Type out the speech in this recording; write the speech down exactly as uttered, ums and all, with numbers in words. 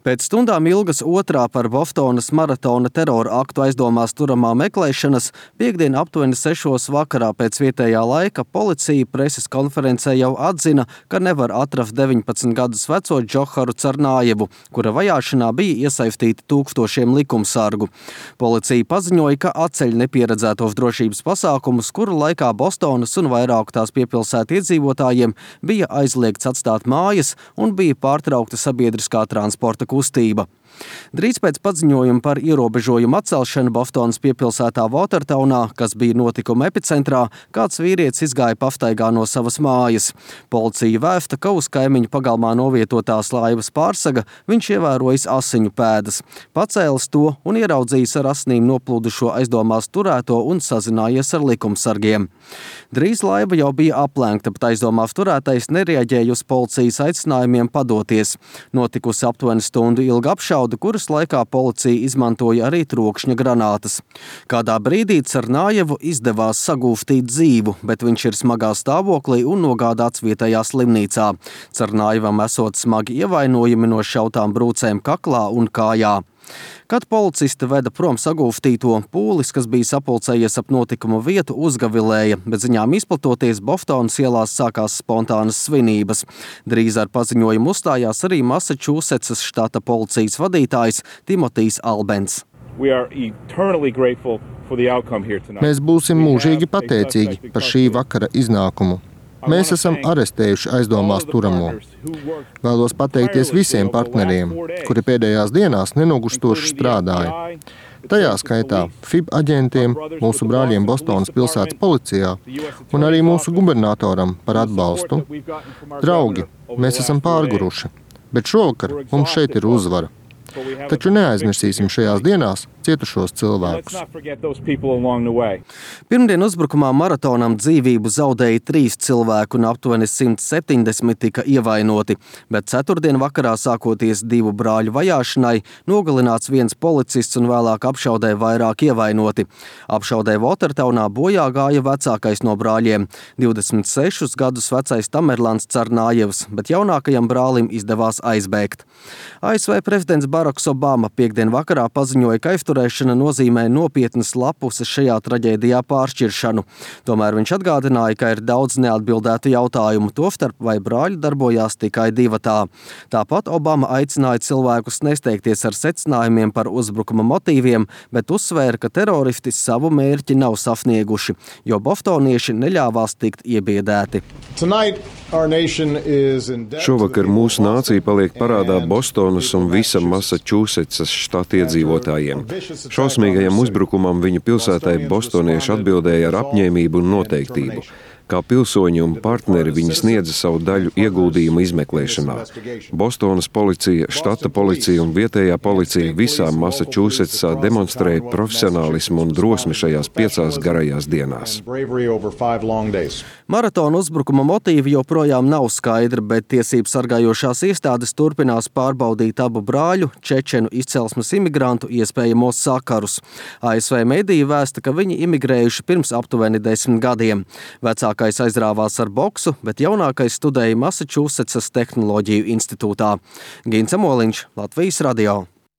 Pēc stundām ilgas otrā par Bostonas maratona terora aktu aizdomās turamā meklēšanas piektdien aptuveni sešos vakarā pēc vietējā laika policija preses konferencē jau atzina, ka nevar atrast deviņpadsmit gadus veco Džoharu Carnājevu, kura vajāšanā bija iesaistīti tūkstošiem likumsargu. Policija paziņoja, ka atceļ nepieredzētos drošības pasākumus, kuru laikā Bostonas un vairāku tās piepilsētu iedzīvotājiem bija aizliegts atstāt mājas un bija pārtraukta sabiedriskā transporta kustība. Drīz pēc paziņojuma par ierobežojumu atcelšanu Bostonas piepilsētā Watertownā, kas bija notikuma epicentrā, kāds vīrietis izgāja pastaigā no savas mājas. Policija vēsta, ka uz kaimiņu pagalmā novietotās laivas pārsaga viņš ievērojis asiņu pēdas. Pacēlis to un ieraudzījis ar asnīm noplūdušo aizdomās turēto un sazinājies ar likumsargiem. Drīz laiva jau bija aplenkta, bet aizdomās turētais nereaģēja uz policijas aicinājumiem padoties. Notikusi aptuveni stundu ilga apšaude, kuras laikā policija izmantoja arī trokšņa granātas. Kādā brīdī Carnājevu izdevās sagūstīt dzīvu, bet viņš ir smagā stāvoklī un nogādāts vietējā slimnīcā. Carnājevam esot smagi ievainojumi no šautām brūcēm kaklā un kājā. Kad policisti veda prom sagūstīto, pūlis, kas bija sapulcējies ap notikumu vietu, uzgavilēja, bet ziņām izplatoties Bostonas ielās sākās spontānas svinības. Drīz ar paziņojumu uzstājās arī Masačūsetsas štata policijas vadītājs Timotijs Albens. Mēs būsim mūžīgi pateicīgi par šī vakara iznākumu. Mēs esam arestējuši aizdomās turamo. Vēlos pateikties visiem partneriem, kuri pēdējās dienās nenogurstoši strādāja. Tajā skaitā F I B aģentiem, mūsu brāļiem Bostonas pilsētas policijā un arī mūsu gubernatoram par atbalstu. Draugi, mēs esam pārguruši, bet šovakar mums šeit ir uzvara. Taču neaizmirsīsim šajās dienās cietušos cilvēkus. Pirmdien uzbrukumā maratonam dzīvību zaudēja trīs cilvēku un aptuveni simt septiņdesmit tika ievainoti, bet ceturtdien vakarā sākoties divu brāļu vajāšanai nogalināts viens policists un vēlāk apšaudē vairāk ievainoti. Apšaudē Watertownā bojā gāja vecākais no brāļiem, divdesmit sešus gadus vecais Tamerlans Carnājevs, bet jaunākajam brālim izdevās aizbēgt. A S V prezidents Baraks Obama piektdien vakarā paziņoja, ka aizturēšana nozīmē nopietnas lapuses šajā traģēdijā pāršķiršanu. Tomēr viņš atgādināja, ka ir daudz neatbildētu jautājumu, tostarp vai brāļi darbojās tikai divatā. Tāpat Obama aicināja cilvēkus nesteigties ar secinājumiem par uzbrukuma motīviem, bet uzsvēra, ka teroristi savu mērķi nav sasnieguši, jo bostonieši neļāvās tikt iebiedēti. Šovakar mūsu nācija paliek parādā Bostonas un visa Masačūsetsas štata iedzīvotājiem. Šausmīgajam uzbrukumam viņu pilsētai bostonieši atbildēja ar apņēmību un noteiktību. Kā pilsoņi un partneri viņi sniedza savu daļu ieguldījumu izmeklēšanā. Bostonas policija, štata policija un vietējā policija visā Masačūsetsā demonstrēja profesionālismu un drosmi šajās piecās garajās dienās. Maratona uzbrukuma motīvi joprojām nav skaidri, bet tiesību sargājošās iestādes turpinās pārbaudīt abu brāļu, čečenu izcelsmes imigrantu iespējamos sakarus. A S V mediji vēsta, ka viņi imigrējuši pirms aptuveni desmit gadiem. Vecākais aizrāvās ar boksu, bet jaunākais studēja Masačūsetsas tehnoloģiju institūtā. Gins Amoliņš, Latvijas radio.